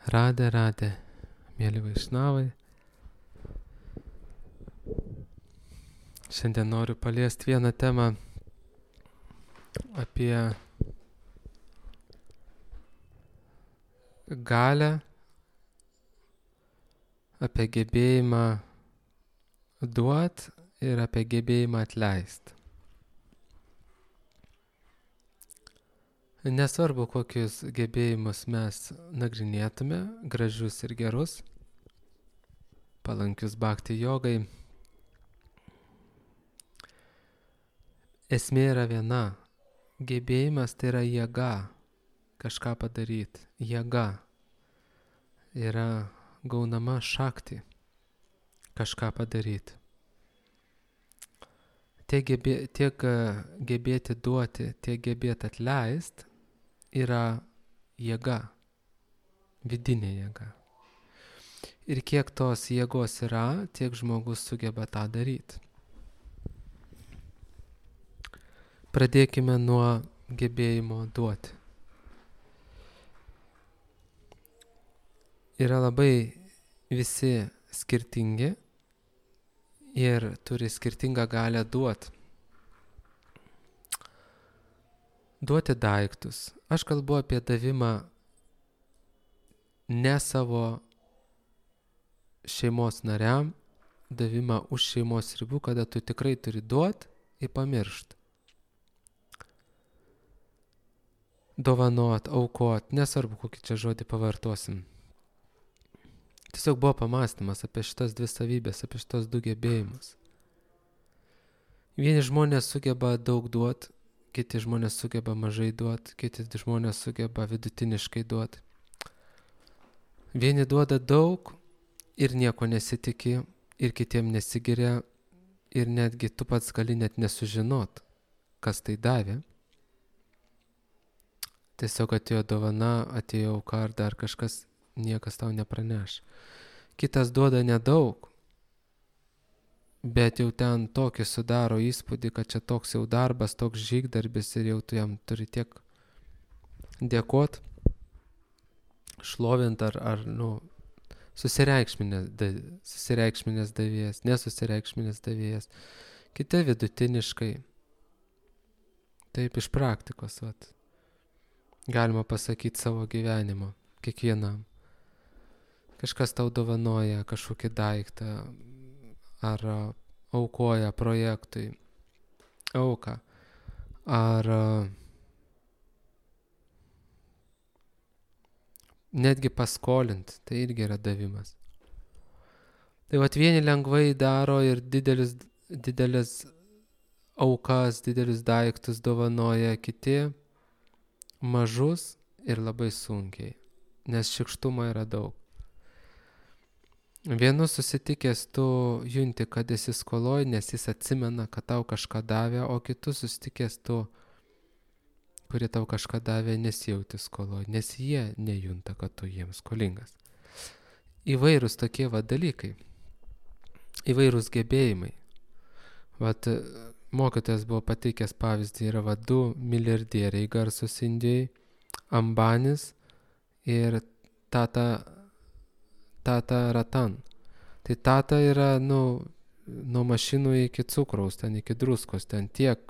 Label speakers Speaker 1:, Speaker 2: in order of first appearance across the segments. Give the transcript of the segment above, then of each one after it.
Speaker 1: Radė, mėly vaišnavai. Šiandien noriu paliesti vieną temą apie galią, apie gebėjimą duot ir apie gebėjimą atleist. Nesvarbu, kokius gebėjimus mes nagrinėtume, gražius ir gerus, palankius bhakti jogai. Esmė yra viena. Gebėjimas tai yra jėga kažką padaryti. Jėga yra gaunama šakti kažką padaryti. Tiek gebėti duoti, tiek gebėti atleist yra jėga, vidinė jėga. Ir kiek tos jėgos yra, tiek žmogus sugeba tą daryti. Pradėkime nuo gebėjimo duoti. Yra labai visi skirtingi ir turi skirtingą galią duoti. Duoti daiktus. Aš kalbu apie davimą ne savo šeimos nariam, davimą už šeimos ribų, kada tu tikrai turi duoti ir pamiršti. Dovanot, aukot, nesvarbu, kokį čia žodį pavartosim. Tiesiog buvo pamąstymas apie šitas dvi savybės, apie šitas du gebėjimus. Vieni žmonės sugeba daug duoti, kiti žmonės sugeba mažai duoti, kiti žmonės sugeba vidutiniškai duoti. Vieni duoda daug ir nieko nesitiki, ir kitiem nesigiria, ir netgi tu pats gali net nesužinot, kas tai davė. Tiesiog atėjo dovana, atėjo auka ar dar kažkas, niekas tau nepraneš. Kitas duoda nedaug, bet jau ten tokį sudaro įspūdį, kad čia toks jau darbas, toks žygdarbis ir jau tu jam turi tiek dėkot, šlovint ar susireikšminės davėjas, nesusireikšminės davėjas. Kiti vidutiniškai. Taip iš praktikos, galima pasakyti savo gyvenimo, kiekvienam. Kažkas tau dovanoja kažkokį daiktą ar aukoja projektui auką, ar netgi paskolint, tai irgi yra davimas. Tai vieni lengvai daro ir didelis aukas, didelius daiktus dovanoja, kiti mažus ir labai sunkiai, nes šykštumo yra daug. Vienu susitikęs tu junti, kad esi skoloj, nes jis atsimena, kad tau kažką davė, o kitus susitikęs tu, kurie tau kažką davė, nesijauti skoloj, nes jie nejunta, kad tu jiems skolingas. Įvairūs tokie dalykai, įvairūs gebėjimai. Mokytojas buvo pateikęs pavyzdį, yra du milijardieriai garsus Indijai, Ambanis ir Tata Ratan. Tai Tata yra nuo mašinų iki cukraus, ten iki druskos, ten tiek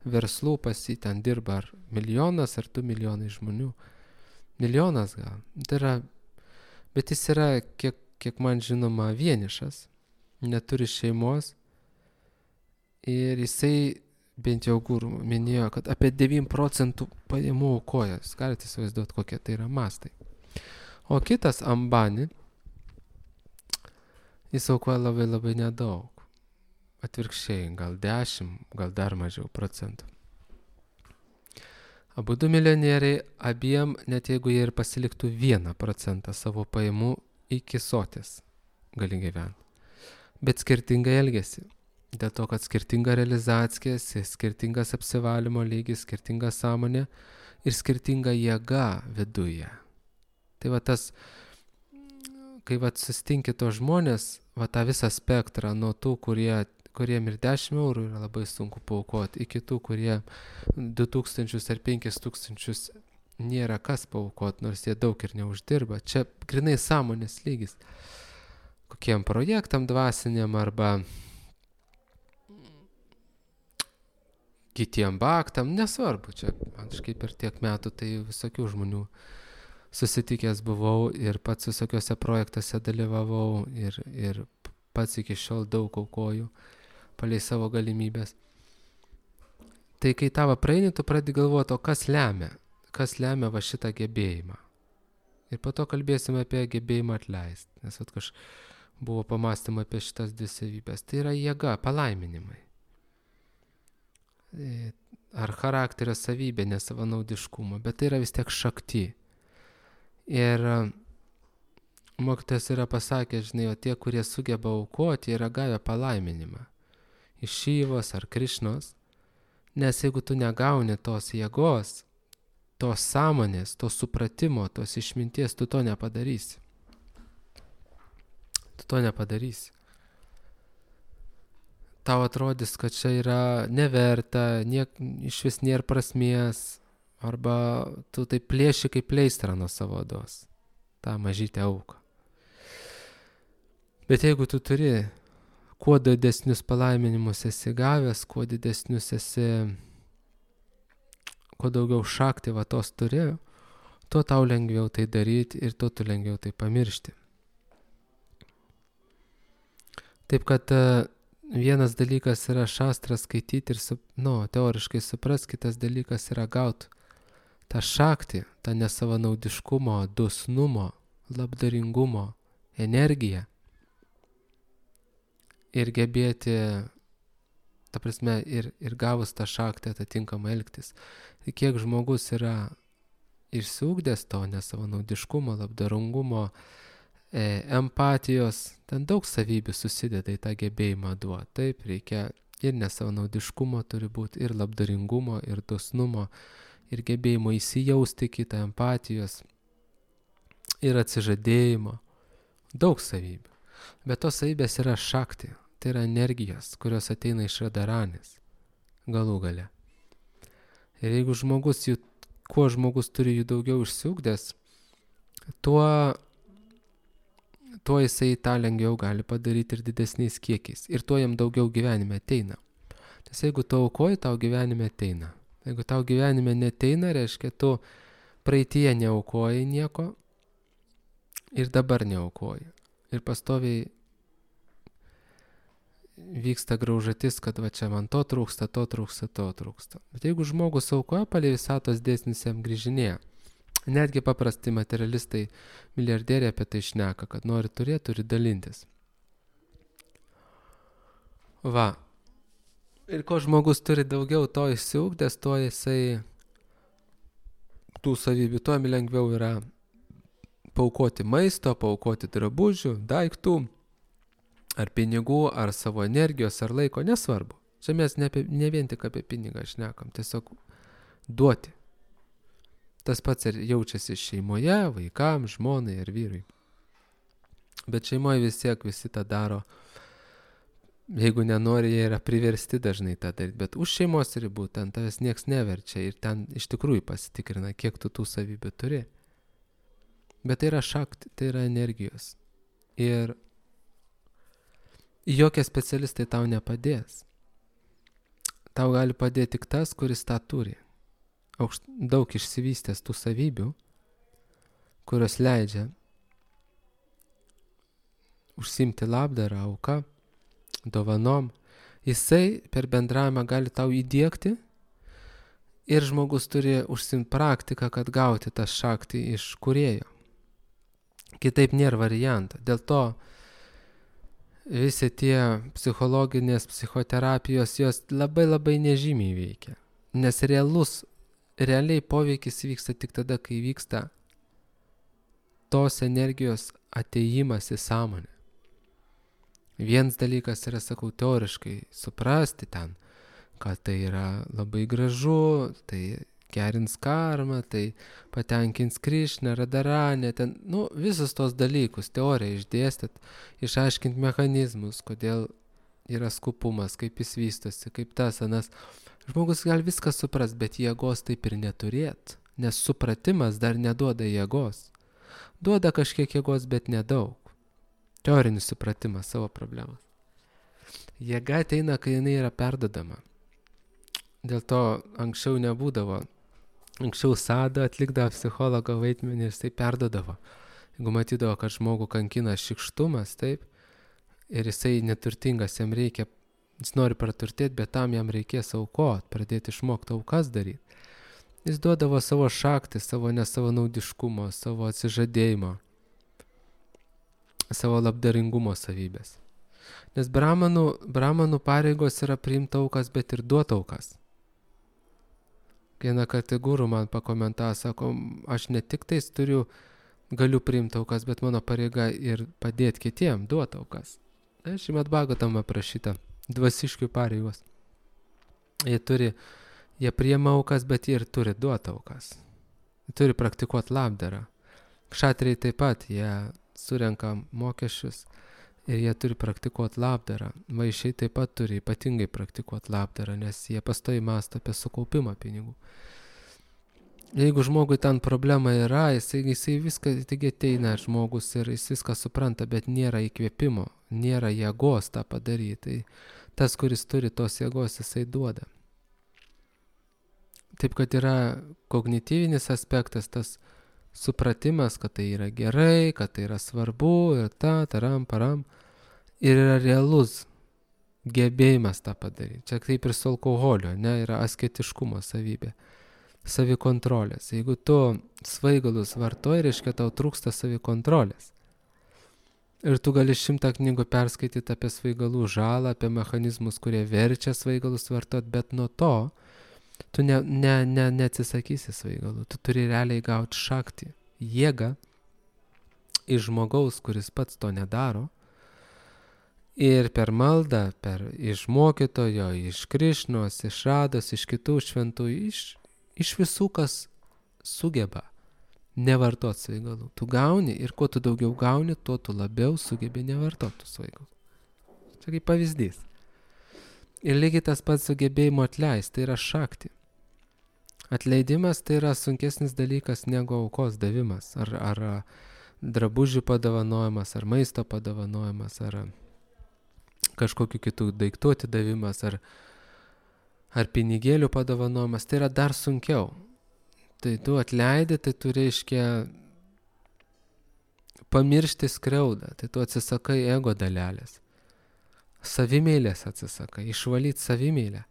Speaker 1: verslų pas jį ten dirba, ar milijonas, ar 2 milijonai žmonių. Milijonas gal. Tai yra, bet jis yra, kiek man žinoma, vienišas, neturi šeimos ir jisai, bent jau guru minėjo, kad apie 9% pajamų aukoja. Jūs galite įsivaizduoti, kokie tai yra mastai. O kitas Ambani, jis aukoja labai labai nedaug. Atvirkščiai, gal 10, gal dar mažiau procentų. Abu du milijonieriai, abiem, net jeigu jie ir pasiliktų 1% savo pajamų iki soties, gali gyventi. Bet skirtingai elgesi. Dėl to, kad skirtinga realizacija, skirtingas apsivalymo lygis, skirtinga sąmonė ir skirtinga jėga viduje. Tai tas, kai sustinki tos žmonės, tą visą spektrą nuo tų, kuriem ir 10 eurų yra labai sunku paaukoti, iki tų, kurie 2000 ar 5000 nėra kas paaukot, nors jie daug ir neuždirba. Čia grinai sąmonės lygis. Kokiem projektam dvasiniam arba kitiem baktam, nesvarbu. Čia, man kažkaip per tiek metų tai visokių žmonių susitikęs buvau ir pats visokiuose projektuose dalyvavau ir pats iki šiol daug aukoju palei savo galimybės. Tai kai tavo praeini, tu pradedi galvoti, o kas lemia va šitą gebėjimą. Ir po to kalbėsime apie gebėjimą atleisti, nes buvo pamastymą apie šitas dvi savybės. Tai yra jėga, palaiminimai. Ar charakterio savybė, nesavanaudiškumo, bet tai yra vis tiek šakti. Ir mokytojas yra pasakęs, žinai, o tie, kurie sugeba aukoti, yra gavę palaiminimą iš Šyvos ar Krišnos, nes jeigu tu negauni tos jėgos, tos sąmonės, tos supratimo, tos išminties, tu to nepadarysi. Tau atrodys, kad čia yra neverta, iš vis nėra prasmės, arba tu tai plėši kaip pleistrą nuo savo odos, tą mažytę auką. Bet jeigu tu turi, kuo didesnius palaiminimus esi gavęs, kuo daugiau šakti va tos turi, tuo tau lengviau tai daryti ir tuo tu lengviau tai pamiršti. Taip kad vienas dalykas yra šastrą skaityti ir teoriškai supras, kitas dalykas yra gauti tą šaktį, tą nesavanaudiškumo, dosnumo, labdaringumo energiją ir gebėti, ta prasme, ir gavus tą šaktį atitinkamai elgtis. Tai kiek žmogus yra išsiugdęs to nesavanaudiškumo, labdaringumo, empatijos, ten daug savybių susideda į tą gebėjimą duoti. Taip, reikia ir nesavanaudiškumo turi būti, ir labdaringumo, ir dosnumo, ir gebėjimo įsijausti kitą, empatijos, ir atsižadėjimo. Daug savybių. Bet tos savybės yra šakti, tai yra energijos, kurios ateina iš Radaranės galų gale. Ir jeigu kuo žmogus turi jų daugiau išsiugdęs, tuo jisai tą lengviau gali padaryti ir didesniais kiekiais. Ir tuo jam daugiau gyvenime ateina. Nes jeigu tu aukoji, tau gyvenime ateina. Jeigu tau gyvenime neteina, reiškia, tu praeitie neaukoji nieko ir dabar neaukoji. Ir pastoviai vyksta graužatis, kad va čia man to trūksta. Bet jeigu žmogus aukoja, palei visatos dėsnis jam grįžinėja. Netgi paprasti materialistai, milijardieriai apie tai šneka, kad nori turėti, turi dalintis. Va. Ir ko žmogus turi daugiau, to išsiugdęs, to jisai tų savybių, tuo lengviau yra paaukoti maisto, paaukoti drabužių, daiktų, ar pinigų, ar savo energijos, ar laiko, nesvarbu. Čia mes ne vien tik apie pinigą šnekam, tiesiog duoti. Tas pats ir jaučiasi šeimoje, vaikams, žmonai ir vyrui. Bet šeimoje visi tą daro. Jeigu nenori, jie yra priversti dažnai tą daryti. Bet už šeimos ribų ten tavęs nieks neverčia ir ten iš tikrųjų pasitikrina, kiek tu tų savybių turi. Bet tai yra šakti, tai yra energijos. Ir jokie specialistai tau nepadės. Tau gali padėti tik tas, kuris tą turi. Daug išsivystęs tų savybių, kurios leidžia užsiimti labdarą, auką, dovanom. Jisai per bendravimą gali tau įdiegti ir žmogus turi užsiimti praktiką, kad gauti tą šaktį iš kūrėjo. Kitaip nėra varianto. Dėl to visi tie psichologinės psichoterapijos, jos labai nežymiai veikia. Nes realiai poveikis vyksta tik tada, kai vyksta tos energijos atėjimas į sąmonę. Vienas dalykas yra, sakau, teoriškai suprasti ten, kad tai yra labai gražu, tai gerins karmą, tai patenkins Krišną, Radaranę, ten, visus tos dalykus, teoriją išdėstyt, išaiškinti mechanizmus, kodėl yra skupumas, kaip jis vystosi, kaip tas, anas. Žmogus gali viską suprast, bet jėgos taip ir neturėt. nes supratimas dar neduoda jėgos. Duoda kažkiek jėgos, bet nedaug. Teorinis supratimas savo problemas. Jėga ateina, kai jinai yra perdodama. Dėl to anksčiau nebūdavo. Anksčiau Sada atlikdavo psichologo vaidmenį ir jisai perdodavo. Jeigu matydavo, kad žmogų kankina šikštumas, taip, ir jisai neturtingas, jam reikia, jis nori praturtėti, bet tam jam reikės aukot, pradėti išmokti aukas daryti. Jis duodavo savo šaktį, savo nesavanaudiškumo, savo atsižadėjimo, savo labdaringumo savybės. Nes bramanų pareigos yra priimti aukas, bet ir duoti aukas. Vieną kartą guru man pakomentavo, sako, aš ne tik tais galiu priimti aukas, bet mano pareiga ir padėti kitiem, duoti aukas. Šrimad Bhagavatam aprašyta dvasiškių pareigos. Jie priima aukas, bet jie ir turi duoti aukas. Jie turi praktikuoti labdarą. Kšatriai taip pat, jie surenka mokesčius ir jie turi praktikuoti labdarą. Vaišiai taip pat turi ypatingai praktikuoti labdarą, nes jie pastoviai mąsto apie sukaupimą pinigų. Jeigu žmogui ten problema yra, jisai viską, taigi ateina žmogus ir jis viską supranta, bet nėra įkvėpimo, nėra jėgos tą padaryti. Tai tas, kuris turi tos jėgos, jisai duoda. Taip, kad yra kognityvinis aspektas, tas supratimas, kad tai yra gerai, kad tai yra svarbu ir taram, param. Ir yra realus gebėjimas tą padaryti. Čia kaip ir su alkoholiu, yra asketiškumo savybė, savikontrolės. Jeigu tu svaigalus vartoji, reiškia tau trūksta savikontrolės. Ir tu gali 100 knygų perskaityti apie svaigalų žalą, apie mechanizmus, kurie verčia svaigalus vartoti, bet nuo to tu neatsisakysi svaigalų. Tu turi realiai gauti šaktį, jėgą iš žmogaus, kuris pats to nedaro. Ir per maldą, iš mokytojo, iš Krišnos, iš Rados, iš kitų šventųjų, iš visų, kas sugeba nevartot svaigalų. Tu gauni ir kuo tu daugiau gauni, tuo tu labiau sugebi nevartot tų svaigalų. Čia kaip pavyzdys. Ir lygiai tas pats sugebėjimo atleisti, tai yra šakti. Atleidimas tai yra sunkesnis dalykas negu aukos davimas, ar drabužių padovanojimas, ar maisto padovanojimas, ar kažkokių kitų daiktų atidavimas, ar pinigėlių padovanojimas, tai yra dar sunkiau. Tai tu atleidi, tai tu reiškia pamiršti skriaudą, tai tu atsisakai ego dalelės. Savimeilės atsisakai, išvalyti savimeilę.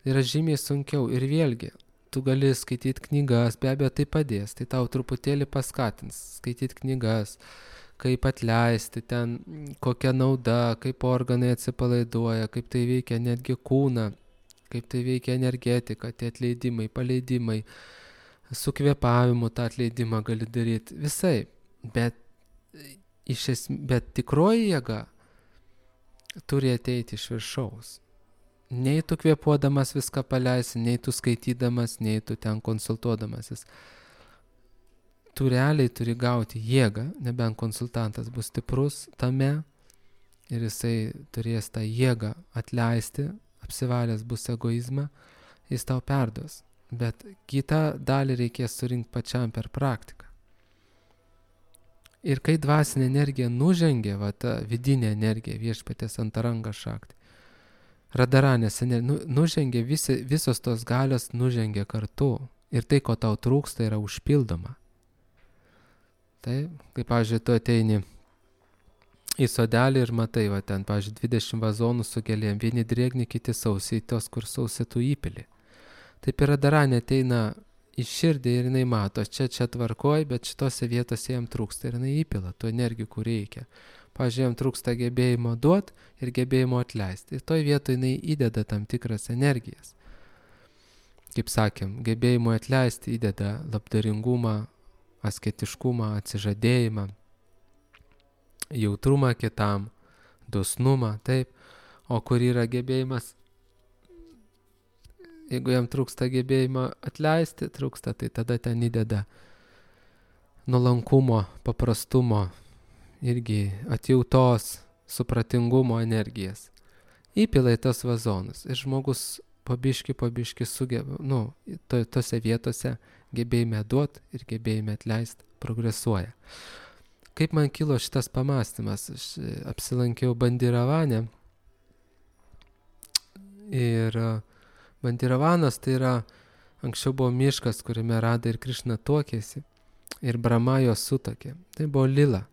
Speaker 1: Yra žymiai sunkiau ir vėlgi, tu gali skaityti knygas, be abejo tai padės, tai tau truputėlį paskatins skaityti knygas, kaip atleisti ten, kokia nauda, kaip organai atsipalaiduoja, kaip tai veikia netgi kūną, kaip tai veikia energetika, tie atleidimai, paleidimai, su kvėpavimu tą atleidimą gali daryti, visai, bet tikroji jėga turi ateiti iš viršaus. Nei tu kvėpuodamas viską paleisi, nei tu skaitydamas, nei tu ten konsultuodamasis. Tu realiai turi gauti jėgą, nebent konsultantas bus stiprus tame ir jisai turės tą jėgą atleisti, apsivalęs bus egoizmą, jis tau perduos. Bet kitą dalį reikės surinkti pačiam per praktiką. Ir kai dvasinė energija nužengia, ta vidinė energija, viešpaties antaranga šakti, radaranės energija, nužengia, visos tos galios nužengia kartu. Ir tai, ko tau trūksta, yra užpildoma. Tai, kaip, pavyzdžiui, tu ateini į sodelį ir matai, ten, pavyzdžiui, 20 vazonų su gėlėm, vieni drėgni, kiti sausiai, tos, kur sausiai tu įpili. Taip ir radaranė ateina į širdį ir jinai mato, čia tvarkoj, bet šitose vietose jam trūksta ir jinai įpila tų energijų, kur reikia. Pavyzdžiui, jam trūksta gebėjimo duoti ir gebėjimo atleisti. Ir toj vietoje jinai įdeda tam tikras energijas. Kaip sakėm, gebėjimo atleisti įdeda labdaringumą, asketiškumą, atsižadėjimą, jautrumą kitam, dosnumą, taip. O kur yra gebėjimas, jeigu jam trūksta gebėjimo atleisti, tai tada ten įdeda nuolankumo, paprastumo, irgi atjautos, supratingumo energijas. Įpila į tos vazonus ir žmogus po biškį sugeba, tose vietose gebėjime duoti ir gebėjime atleisti progresuoja. Kaip man kilo šitas pamastymas? Aš apsilankiau Bandiravane ir Bandiravanas tai yra, anksčiau buvo miškas, kuriame Rada ir Krišna tuokėsi ir Brahma jos sutokė. Tai buvo lila.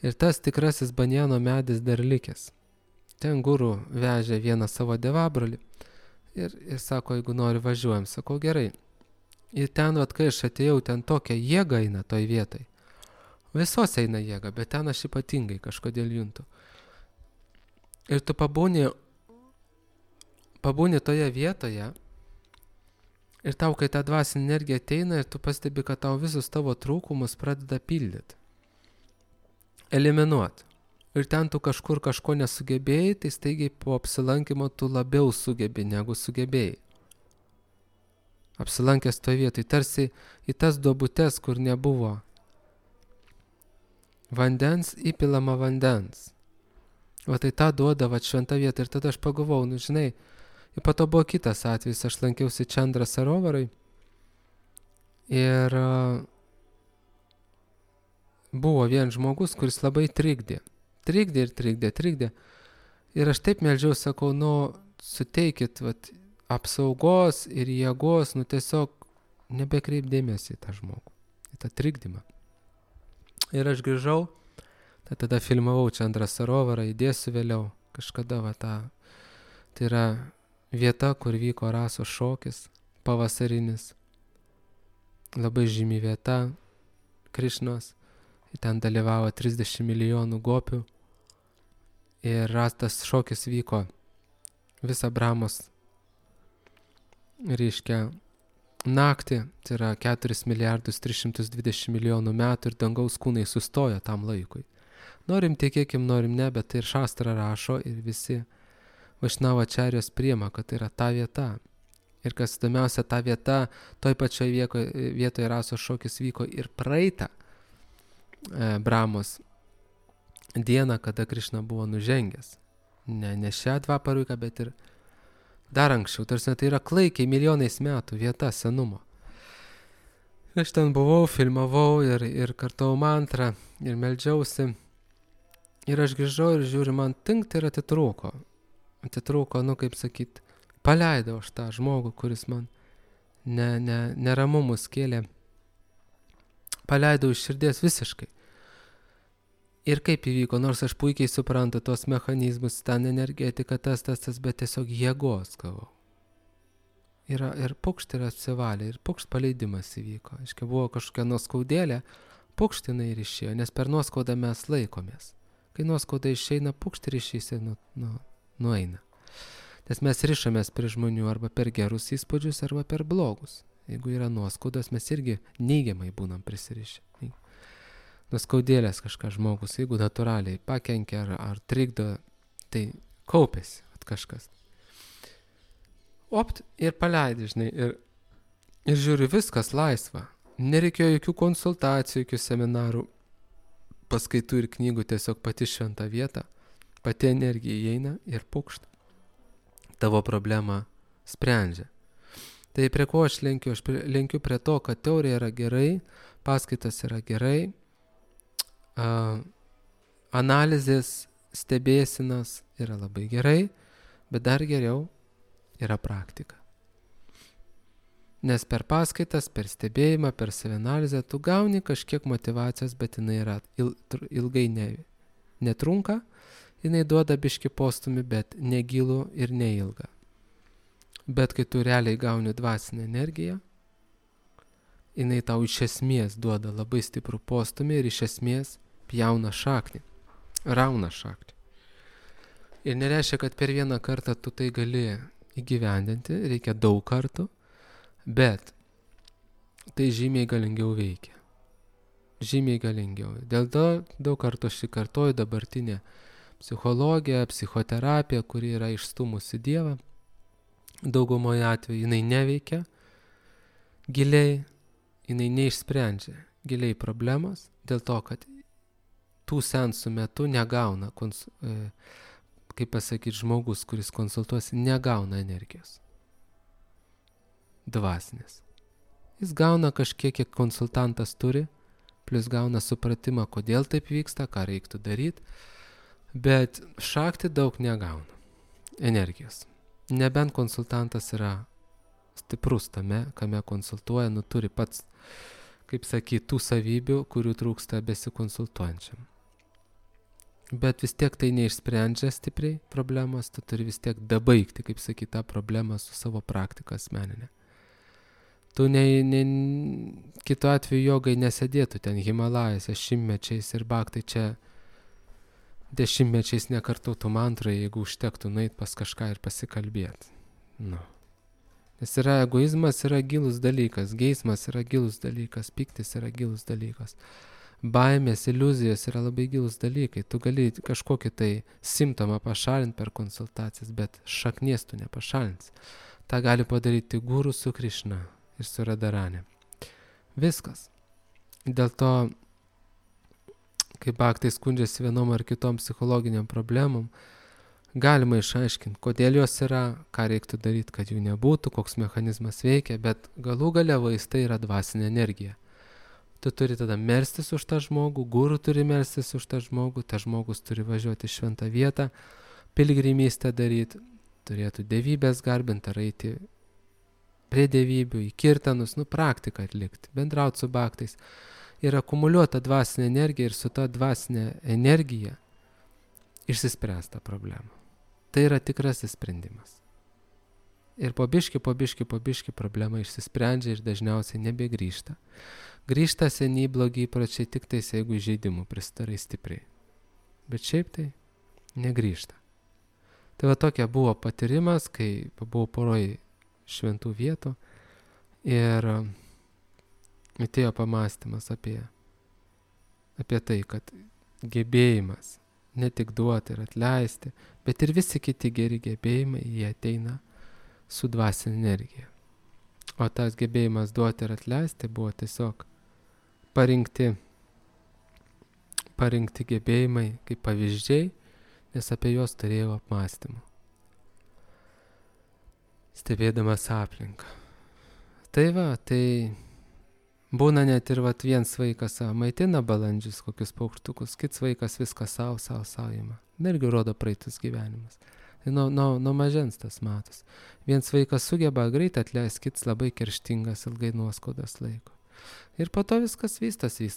Speaker 1: Ir tas tikrasis banjano medis dar likęs. Ten guru vežė vieną savo devabrolį ir sako, jeigu nori važiuojam. Sakau, gerai. Ir ten, kai aš atėjau, ten tokia jėga eina toj vietoj. Visos eina jėga, bet ten aš ypatingai kažkodėl juntu. Ir tu pabūni toje vietoje ir tau, kai ta dvasinė energija ateina ir tu pastebi, kad tau visus tavo trūkumus pradeda pildyti. Eliminuoti. Ir ten tu kažkur kažko nesugebėjai, tai staigiai po apsilankimo tu labiau sugebi, negu sugebėjai. Apsilankęs toje vietoje, tarsi į tas duobutes, kur nebuvo vandens, įpilama vandens. Va tai tą duoda šventa vieta. Ir tada aš pagalvojau, žinai, ir po to buvo kitas atvejis, aš lankiausi Čandra Sarovarai ir buvo vien žmogus, kuris labai trikdė. Trikdė. Ir aš taip meldžiau, sakau, suteikit apsaugos ir jėgos, tiesiog nebekreip dėmesį į tą žmogų, į tą trikdymą. Ir aš grįžau, tada filmavau Čandra Sarovarą, įdėsiu vėliau kažkada tai yra vieta, kur vyko rasos šokis, pavasarinis, labai žymi vieta Krišnos, ten dalyvavo 30 milijonų gopių ir tas šokis vyko visą Brahmos, reiškia, naktį, tai yra 4 milijardus 320 milijonų metų ir dangaus kūnai sustojo tam laikui. Norim tikėkim, norim ne, bet tai ir Šastra rašo ir visi Vašnavačarijos priima, kad tai yra ta vieta. Ir kas įdomiausia, ta vieta, toj pačioj vietoje rasos šokis vyko ir praeitą Brahmos dieną, kada Krišna buvo nužengęs. Ne šią dvaparuiką, bet ir dar anksčiau. Tarsi tai yra klaikiai milijonais metų vieta senumo. Aš ten buvau, filmavau ir kartau mantrą ir meldžiausi. Ir aš grįžau ir žiūriu, man tinkt ir atitrūko. Kaip sakyt, paleidau aš tą žmogų, kuris man neramumus kėlė. Paleidau iš širdies visiškai. Ir kaip įvyko, nors aš puikiai suprantu tos mechanizmus, ten energetika, tas, bet tiesiog jėgos gavau. Ir pukšt ir apsivalė, ir pukšt paleidimas įvyko. Aiškiai, buvo kažkokia nuoskaudėlė, pukštinai ir išėjo, nes per nuoskaudą mes laikomės. Kai nuoskauda išeina, pukšt ir išeisi nueina. Nes mes rišamės prie žmonių arba per gerus įspūdžius, arba per blogus. Jeigu yra nuoskaudos, mes irgi neigiamai būnam prisirišę. Nuskaudėlės kažką žmogus, jeigu natūraliai pakenkia ar trikdo, tai kaupėsi kažkas. Opt ir paleidai, žinai, ir žiūri, viskas laisva. Nereikėjo jokių konsultacijų, jokių seminarų, paskaitų ir knygų, tiesiog pati šventa vieta, pati energija įeina ir pukšt. Tavo problemą sprendžia. Tai prie ko aš lenkiu? Aš lenkiu prie to, kad teorija yra gerai, paskaitas yra gerai, analizės, stebėsinas yra labai gerai, bet dar geriau yra praktika. Nes per paskaitas, per stebėjimą, per savianalizę tu gauni kažkiek motyvacijos, bet jinai yra ilgai netrunka, jinai duoda biškį postumį, bet negilų ir neilgą. Bet kai tu realiai gauni dvasinę energiją, jinai tau iš esmės duoda labai stiprų postumį ir iš esmės pjauna šaknį, rauna šaknį. Ir nereiškia, kad per vieną kartą tu tai gali įgyvendinti, reikia daug kartų, bet tai žymiai galingiau veikia. Žymiai galingiau. Dėl to daug kartų aš kartoju dabartinę psichologiją, psichoterapiją, kuri yra išstumusi Dievą. Daugumoje atveju jinai neveikia giliai, jinai neišsprendžia giliai problemos, dėl to, kad tų seansų metu negauna, kaip pasakyti, žmogus, kuris konsultuosi, negauna energijos. Dvasinės. Jis gauna kažkiek, kiek konsultantas turi, plus gauna supratimą, kodėl taip vyksta, ką reiktų daryti, bet šakti daug negauna energijos. Nebent konsultantas yra stiprus tame, kame konsultuoja, turi pats, kaip sakyti, tų savybių, kurių trūksta besikonsultuojančiam. Bet vis tiek tai neišsprendžia stipriai problemos, tu turi vis tiek dabaigti, kaip sakyti, tą problemą su savo praktika asmeninė. Tu kitu atveju jogai nesėdėtų ten Himalajose šimtmečiais ir bhaktai čia dešimtmečiais nekartotų mantrą, jeigu užtektų nueit pas kažką ir pasikalbėti. Nes yra egoizmas, yra gilus dalykas, geismas yra gilus dalykas, piktis yra gilus dalykas. Baimės, iliuzijos yra labai gilus dalykai. Tu gali kažkokį tai simptomą pašalinti per konsultacijas, bet šaknies tu nepašalinsi. Ta gali padaryti guru su Krišna ir su Radharani. Viskas. Dėl to, kai bhaktai skundžiasi vienom ar kitom psichologiniam problemom, galima išaiškinti, kodėl jos yra, ką reiktų daryti, kad jų nebūtų, koks mechanizmas veikia, bet galų gale vaistai yra dvasinė energija. Tu turi tada melstis už tą žmogų, guru turi melstis už tą žmogų, tas žmogus turi važiuoti į šventą vietą, piligrimystę daryti, turėtų dievybės garbinti ar eiti prie dievybių, į kirtanus, praktiką atlikti, bendrauti su bhaktais ir akumuliuota dvasinė energija ir su ta dvasinė energija išsispręsta problema. Tai yra tikrasis sprendimas. Ir po biški problema išsisprendžia ir dažniausiai nebegrįžta. Grįžta seniai blogi įpročiai tik tais, jeigu žaidimų pristarai stipriai. Bet šiaip tai negrįžta. Tai va tokia buvo patyrimas, kai buvau poroj šventų vietų ir atėjo pamąstymas apie tai, kad gebėjimas ne tik duoti ir atleisti, bet ir visi kiti geri gebėjimai, jie ateina su dvasinė energija. O tas gebėjimas duoti ir atleisti buvo tiesiog parinkti gebėjimai kaip pavyzdžiai, nes apie juos turėjau apmąstymų, stebėdamas aplinką. Tai būna net ir vienas vaikas maitina balandžius, kokius paukštukus, kits vaikas viską savo ima. Irgi rodo praeitus gyvenimas. Nuo mažens tas matos. Vienas vaikas sugeba greit atleisti, kits labai kerštingas, ilgai nuoskaudas laiko. Ir po to viskas vystosi.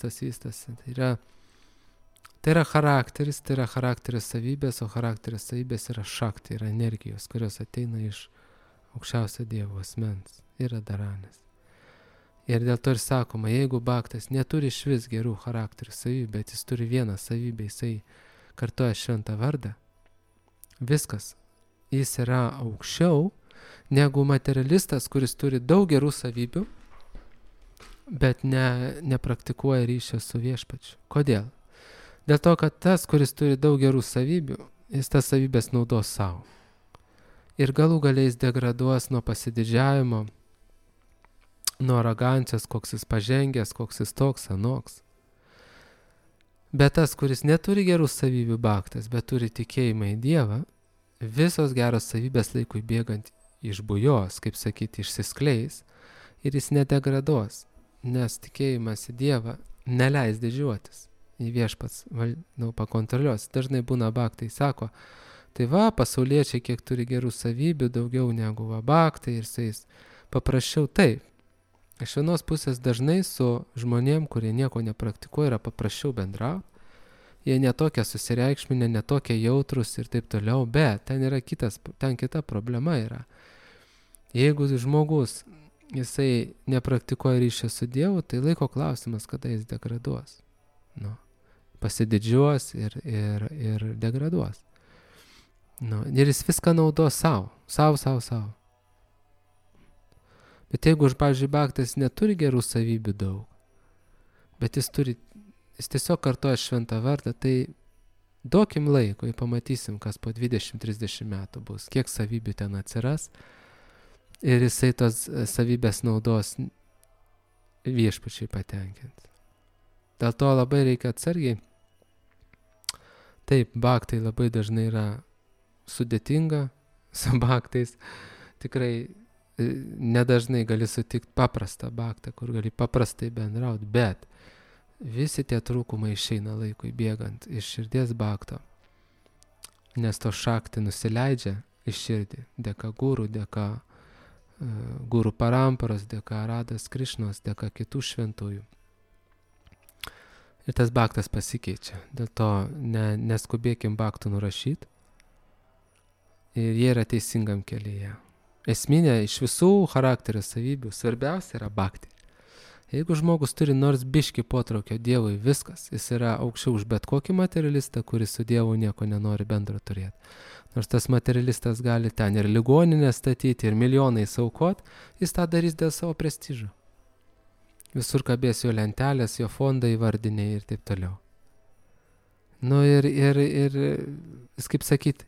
Speaker 1: Tai yra charakteris, tai yra charakterio savybės, o charakterio savybės yra šakti, yra energijos, kurios ateina iš aukščiausio Dievo asmens, yra Radharanis. Ir dėl to ir sakoma, jeigu bhaktas neturi išvis gerų charakterių savybių, bet jis turi vieną savybę, jisai kartoja šventą vardą, viskas, jis yra aukščiau negu materialistas, kuris turi daug gerų savybių, bet nepraktikuoja ryšio su viešpačiu. Kodėl? Dėl to, kad tas, kuris turi daug gerų savybių, jis tas savybės naudos savo. Ir galų galiais degraduos nuo pasididžiavimo, nuo arogancijos, koks jis pažengęs, koks jis toks, anoks. Bet tas, kuris neturi gerų savybių bhaktas, bet turi tikėjimą į Dievą, visos geros savybės laikui bėgant išbujos, kaip sakyti, išsiskleis ir jis nedegraduos, nes tikėjimas į Dievą neleis didžiuotis. Į viešpats pakontroliuos. Dažnai būna bhaktai sako, tai pasauliečiai kiek turi gerų savybių, daugiau negu bhaktai ir su jais paprasčiau taip. Iš vienos pusės dažnai su žmonėm, kurie nieko nepraktikuoja, yra paprasčiau bendrauti. Jie netokie susireikšminę, netokie jautrus ir taip toliau, bet ten kita problema yra. Jeigu žmogus, jisai nepraktikuoja ryšio su Dievu, tai laiko klausimas, kada jis degraduos. Pasididžiuos ir degraduos. Ir jis viską naudos savo. Bet jeigu, pavyzdžiui, bhaktas neturi gerų savybių daug, bet jis tiesiog kartoja šventą vardą, tai duokim laiko, pamatysim, kas po 20-30 metų bus, kiek savybių ten atsiras ir jisai tos savybės naudos viešpačiai patenkinti. Dėl to labai reikia atsargiai. Taip, bhaktai labai dažnai yra sudėtinga su bhaktais. Tikrai nedažnai gali sutikti paprastą baktą, kur gali paprastai bendrauti, bet visi tie trūkumai išeina laikui bėgant iš širdies bakto, nes to šakti nusileidžia iš širdį, dėka gurų, dėka gurų paramparos, dėka Radas Krišnos, dėka kitų šventųjų. Ir tas baktas pasikeičia, dėl to neskubėkim baktų nurašyti ir jie yra teisingam kelyje. Esminė iš visų charakterio savybių svarbiausia yra bakti. Jeigu žmogus turi nors biškį potraukio Dievui, viskas, jis yra aukščiau už bet kokį materialistą, kuris su Dievu nieko nenori bendro turėti. Nors tas materialistas gali ten ir ligoninę statyti, ir milijonais aukot, jis tą darys dėl savo prestižo. Visur kabės jo lentelės, jo fondai vardiniai ir taip toliau. Nu ir jis kaip sakyti,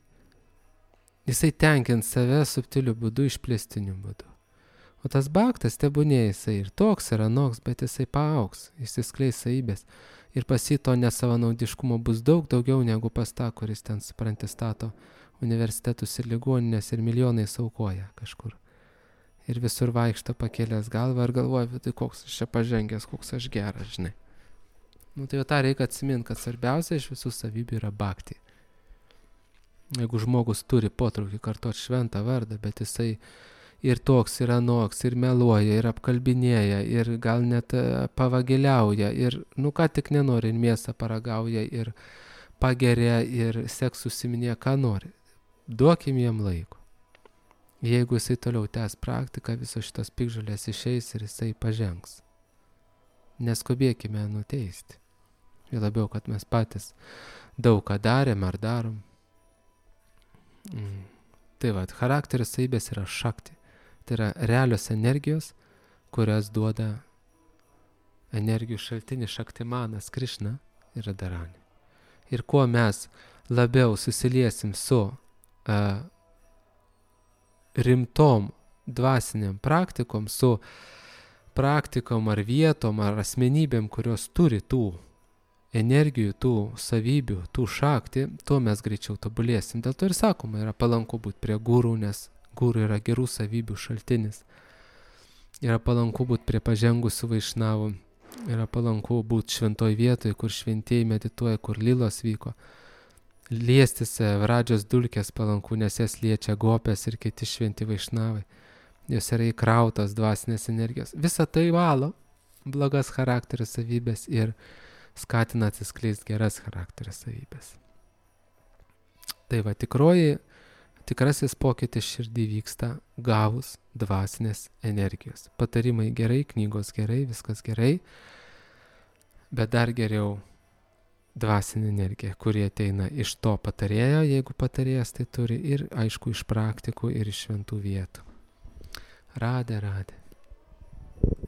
Speaker 1: jisai tenkins save subtiliu būdu, išplėstiniu būdu. O tas baktas, tebūnė jisai ir toks ir anoks, bet jisai paaugs, išsiskleis savybės. Ir pas jį to nesavanaudiškumo bus daug daugiau negu pas tą, kuris ten, supranti, stato universitetus ir ligoninės ir milijonais aukoja kažkur. Ir visur vaikšto pakėlęs galvą ir galvoja, tai koks aš čia pažengęs, koks aš geras, žinai. Nu tai jau tą reikia atsiminti, kad svarbiausia iš visų savybių yra bakti. Jeigu žmogus turi potraukį kartot šventą vardą, bet jisai ir toks, ir anoks, ir meluoja, ir apkalbinėja, ir gal net pavagiliauja, ir nu ką tik nenori, ir mėsą paragauja, ir pageria, ir seksu užsiminėja, ką nori. Duokim jam laiko. Jeigu jisai toliau tęs praktiką, visos šitos piktžolės išeis ir jisai pažengs. Neskubėkime nuteisti. Ir labiau, kad mes patys daug ką darėm ar darom. Tai va, charakterio savybės yra šakti. Tai yra realios energijos, kurias duoda energijų šaltinis Šaktimanas Krišna ir Radharani. Ir kuo mes labiau susiliesim su rimtom dvasiniam praktikom, su praktikom ar vietom ar asmenybėm, kurios turi tų energijų, tų savybių, tų šakti, tuo mes greičiau tobulėsim. Dėl to ir sakoma, yra palanku būti prie gurų, nes gurų yra gerų savybių šaltinis. Yra palanku būti prie pažengusių vaišnavų. Yra palanku būti šventoj vietoje, kur šventieji medituoja, kur lilos vyko. Liestis Vradžios dulkės palanku, nes jas liečia gopės ir kiti šventi vaišnavai. Jos yra įkrautos dvasinės energijos. Visa tai valo blogas charakterio savybės ir skatina atsiskleisti geras charakterio savybės. Tai va, tikrasis pokytis širdį vyksta gavus dvasinės energijos. Patarimai gerai, knygos gerai, viskas gerai, bet dar geriau dvasinė energija, kurie ateina iš to patarėjo, jeigu patarėjas tai turi, ir aišku iš praktikų ir iš šventų vietų. Radė.